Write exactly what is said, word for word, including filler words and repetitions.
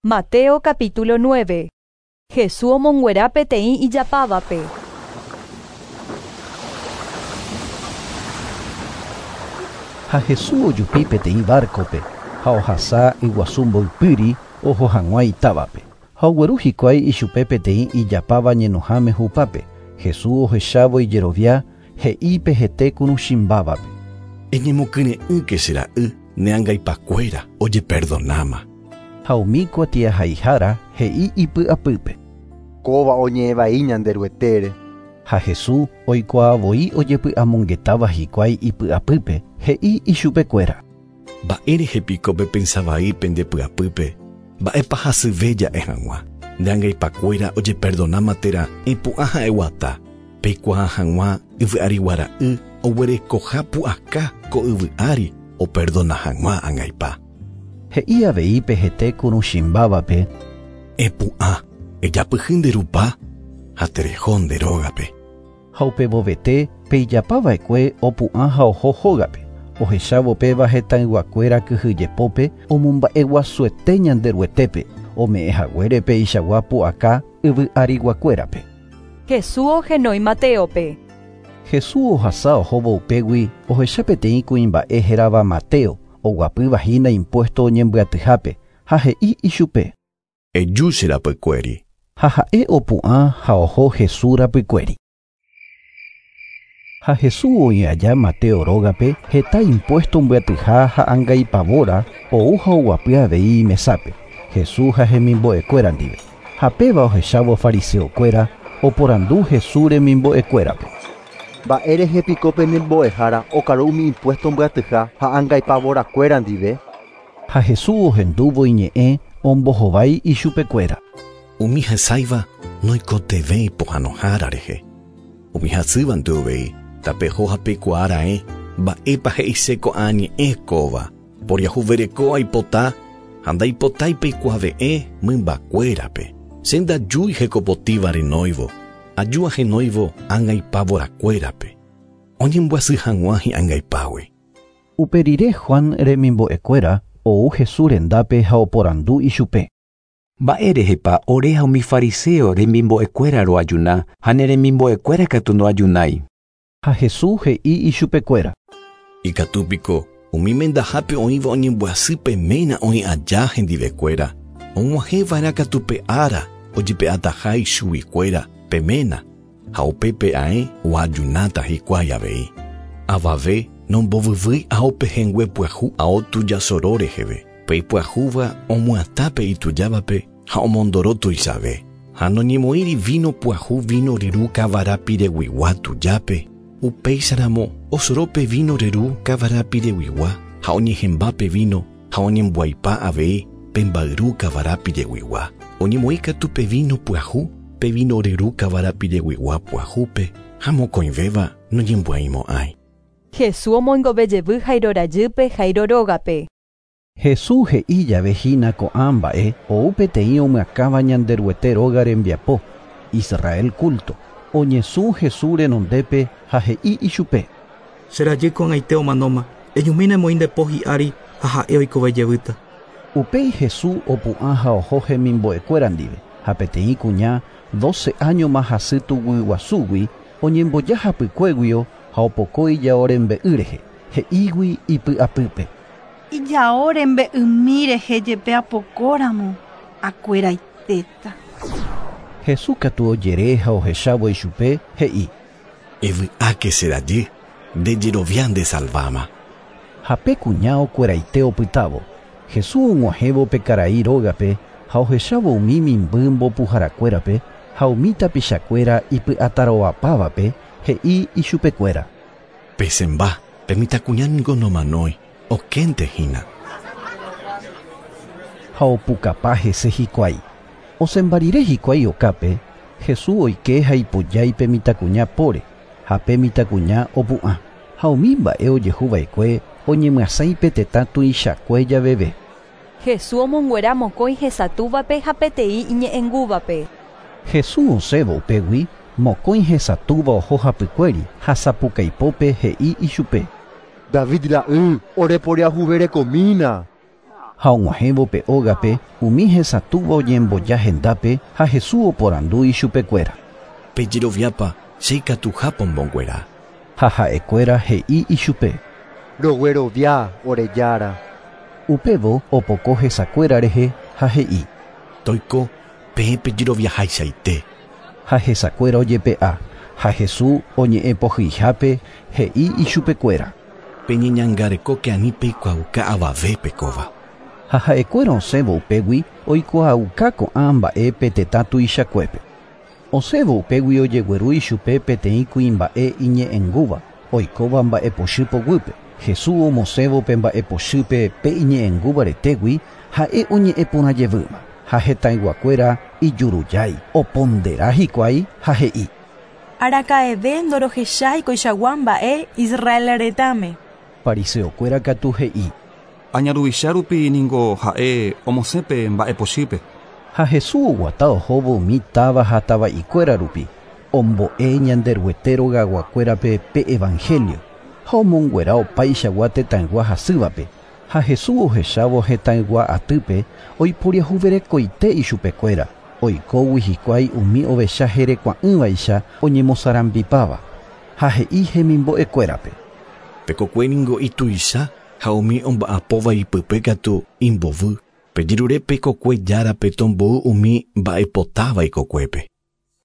Mateo capítulo nueve. Jesús omonguera peteĩ ijapávape. Ha Jesús ojupi peteĩ barcope, ha ohasa yguasu mboypýri oho hag̃ua itávape. Ha ogueru hikuái ichupe peteĩ ijapáva ñenoháme hupápe. Jesús ohechávo ijerovia he'i pe hete kuruchimbávape. Eñemokyre'ỹke che ra'y ne angaipakuéra ojeperdonáma. Ha umi kuatiahaihára he'i ipy'apýpe. Kóva oñe'ẽvai Ñanderuetére. Ha Jesús oikuaavoi ojepy'amongetáva hikuái ipy'apýpe he'i ichupekuéra. Mba'érehepiko pepensavai pendepy'apýpe, mba'épa hasyve ja'e hag̃ua. Ne angaipakuéra ojeperdonáma térã epu'ã ha'eguata. Peikuaa hag̃ua yvy'ariguara'y oguerekoha pu'aka ko yvy ári operdona hag̃ua angaipa. He'i avei pe hete kuruchimbávape. Epu'ã, ejapyhy nde rupa ha tereho nde rógape. Ha upevovete pe ijapava'ekue opu'ã ha oho hógape. Ohechávo péva hetãyguakuéra kyhyjepópe omomba'eguasuete Ñanderuetépe ome'ẽhaguére pe ichagua pu'aka yvy'ariguakuérape. Jesús ohenói Mateope. Jesús ohasa ohóvo upégui ohecha peteĩ kuimba'e hérava Mateo oguapýva hína impuesto oñembyatyhápe ha he'i ichupe. Eju che rapykuéri. Ha ha'e opu'ã ha oho Jesús rapykuéri. Ha Jesús oĩ aja Mateo rógape heta impuesto mbyatyha ha angaipavóra ou ha oguapy avei mesápe. Jesús ha hemimbo'ekuéra ndive. Ha péva ohechávo fariseokuéra oporandu Jesús remimbo'ekuérape. Mba'érehepiko penembo'ehára okaru umi impuesto mbyatyha ha angaipavorakuéra ndive. Ha Jesús ohendúvo iñe'ẽ ombohovái ichupekuéra. Umi hesãiva noikotevẽi pohãnohára rehe. Umi hasývante uvei tapeho ha peikuaára'e mba'épa he'ise ko'ã ñe'ẽ kóva. Poriahuvereko aipota ha ndaipotái peikuave'ẽ mymbakuérape. Che ndajúi hekopotĩva renóivo, aju ahenóivo angaipavorakuérape. Oñembyasy hag̃ua hi'angaipágui. Upe rire Juan remimbo'ekuéra ou Jesús rendápe ha oporandu ichupe. Mba'érehepa ore ha umi fariseo remimbo'ekuéra roajuna ha ne remimbo'ekuéra katu noajunái. Ha Jesús he'i ichupekuéra. Ikatúpiko umi mendahápe oĩva oñembyasy pe ména oĩ aja hendivekuéra. Og̃uahẽva'erã katu pe ára ojepe'ataha ichuguikuéra pe ména ha upépe ae oajunáta hikuái avei. Avave nombovyvýi ao pehẽngue pyahu ao tujasoro reheve. Pe ipyahúva omyatã pe itujávape ha omondoro tuichave. Ha noñemoĩri vino pyahu vino ryru kavarapireguigua tujápe. Upéicharamo osoro pe vino ryru kavarapireguigua ha oñehẽmba pe vino ha oñemboaipa avei pe mbayru kavarapireguigua. Oñemoĩ katu pe vino pyahu pe vino ryru kavarapireguigua pyahúpe ha mokõivéva noñemboaimo'ãi. Jesús omoingovejevy Jairo rajýpe Jairo rógape. Jesús he'i jave hína ko'ã mba'e ou peteĩ omyakãva Ñanderuete róga rembiapo, Israel culto. Oñesũ Jesús renondépe ha he'i ichupe. Che rajy ko'ag̃aite omanóma, ejumína emoĩ nde po hi'ári ha ha'e oikovejevýta. Upéi Jesús opu'ã ha oho hemimbo'ekuéra ndive. Ha peteĩ kuña doce áñoma hasy tuguyguasúgui oñemboja hapykuéguio ha opoko ijao rembe'y rehe. He'ígui ipy'apýpe. Ijao rembe'ymi rehe jepe apokóramo akueraitéta. Jesús katu ojere ha ohechávo ichupe he'i. Evy'áke che rajy, nde jerovia ndesalváma. Ha pe kuña okueraite opytávo. Jesús og̃uahẽvo pe karai rógape ha ohechávo umi mimby mbopuharakuérape ha umi tapichakuéra ipy'atarovapávape he'i ichupekuéra. Pesemba, pe mitãkuña niko nomanói, okénte hína. Ha opukapa hese hikuái. Osẽmba rire hikuái okápe, Jesús oike ha ipojái pe mitãkuña póre ha pe mitãkuña opu'ã. Ha umi mba'e ojehuva'ekue oñemyasãi pe tetã tuichakue javeve. Jesús omonguera mokõi hesatúvape ha peteĩ iñe'ẽngúvape. Jesús osẽvo upégui mokõi hesatúva oho hapykuéri ha sapukaipópe he'i ichupe. David ra'y oreporiahuverekomína. Ha og̃uahẽvo pe ógape umi hesatũva oñemboja hendápe ha Jesús oporandu ichupekuéra. Pejeroviápa che ikatuha pomonguera. Ha ha'ekuéra he'i ichupe. Roguerovia ore Jára. Upévo opoko hesakuéra rehe ha he'i. Toiko peẽ pejeroviahaichaite. Ha hesakuéra ojepe'a ha Jesús oñe'ẽpohyihápe he'i ichupekuéra. Peñeñangarekóke ani peikuaauka avavépe kóva. Ha ha'ekuéra osẽvo upégui oikuaauka ko'ã mba'e pe tetã tuichakuépe. Osẽvo upégui ojegueru ichupe peteĩ kuimba'e iñe'ẽngúva oikóva mba'epochy poguýpe. Jesús omosẽvo pe mba'epochýpe pe iñe'ẽngúva retégui ha'e oñe'ẽporãjevýma ha hetãyguakuéra ijurujái opondera hikuái ha he'i. Araka'eve ndorohechái koichagua mba'e Israel retãme. Fariseokuéra katu he'i. Añaruvicha rupi ningo ha'e omosẽpe mba'epochýpe. Ha Jesús oguata ohóvo umi táva ha tava'ikuéra rupi ombo'e Ñanderuete rogaguakuérape pe evangelio ha omonguera opaichagua tetãygua hasývape. Ha Jesús ohechávo hetãygua atýpe oiporiahuverekoite ichupekuéra oikógui hikuái umi ovecha herekua'ỹvaicha oñemosarambipáva ha he'i hemimbo'ekuérape. Pekokue ningo ituicha ha umi omba'apóva ipype katu imbovy. Pejerure pekokue járape tombou umi mba'epotáva ikokuépe.